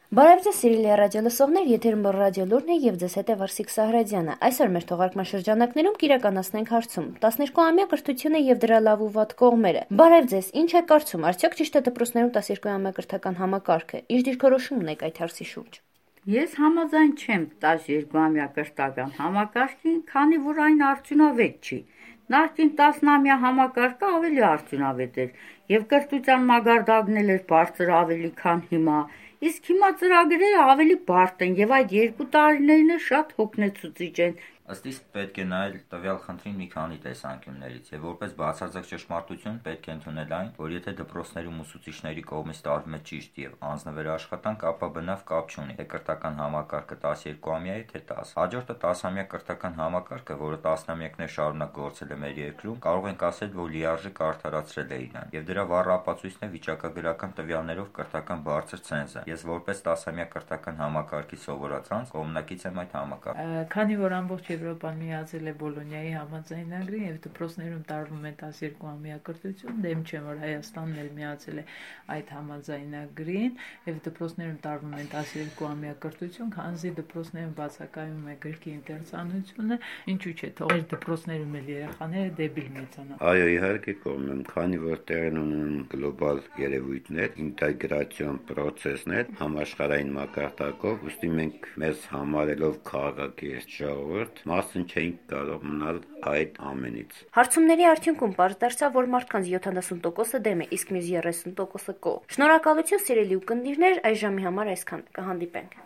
Բարև ձեզ, սիրելի ռադիոլսողներ, եթերում ռադիոլուրն է եւ ձեզ հետ է Վարսիկ Սահրաջյանը։ Այսօր մեր թողարկման շրջանակներում կիրականացնենք հարցում 12-ամյա կրթությունը եւ դրա լավ ու վատ կողմերը։ Բարև ձեզ, ինչ է կարծում, արդյոք ճիշտ է դպրոցներում 12-ամյա կրթական համակարգը։ Ինչ դիրքորոշում ունեք այդ հարցի շուրջ։ Ես համաձայն չեմ 12-ամյա կրթական համակարգին, քանի որ այն արդյունավետ չի։ Նախկին 10-ամյա համակարգը ավելի արդյունավետ էր եւ կրթության մագարտակն էր բարձր ավելի քան հիմա։ Իսկ հիմա ծրագրերը ավելի բարդ են եւ այդ 2 տարիներն էլ շատ հոգնեցուցիչ են։ Ըստ իս պետք է նայել տվյալ խնդրին մի քանի տեսանկյուններից եւ որպես բացարձակ ճշմարտություն պետք է ընդունել այն, որ եթե դպրոցներում ուսուցիչների կողմից տարվում է ճիշտ եւ անձնվեր աշխատանք, ապա բնավ կապ չունի, թե կրթական համակարգը 12-ամյա է, թե 10։ Հաջորդը 10-ամյա կրթական համակարգը, որը տասնամյակներ շարունակ գործել է մեր երկրում, կարող ենք ասել, որ լիարժեք արդարացրել է իրան եւ դրա վառ ապացույցն է վիճակագրական տվյալներով կրթական բարձր ցենզը։ Ես որպես 10-ամյա կրթական համակարգի սովորածանց կողմնակից եմ այդ համակարգին։ Քանի որ ամբողջ Եվրոպան միացել է Բոլոնիայի համաձայնագրին եւ դպրոցներում տարվում է 12-ամյա կրթություն, դեմ չեմ, որ Հայաստանն էլ միացել է այդ համաձայնագրին եւ դպրոցներում տարվում է 12-ամյա կրթություն, քանզի դպրոցներում բացակայում է գրքի ինտերցանությունը, ինչու՞ չէ, թող դպրոցներում էլ երեխաները դեբիլ մեծանան։ Այո, իհարկե կողմեմ, քանի որ տեղն ունեն գլոբալ երևույթներ, ինտեգրացիոն process-ներ համաշխարհային մակարդակով, ուստի մենք մեզ համարելով քաղաքակիրթ ժողովուրդ մասն չէինք կարող մնալ այդ ամենից։ Հարցումների արդյունքում պարզ դարձավ, որ մարդկանց 70%-ը դեմ է, իսկ մյուս 30%-ը կողմ։ Շնորհակալություն, սիրելի ունկնդիրներ, այս ժամի համար այսքան։ Կհանդիպենք։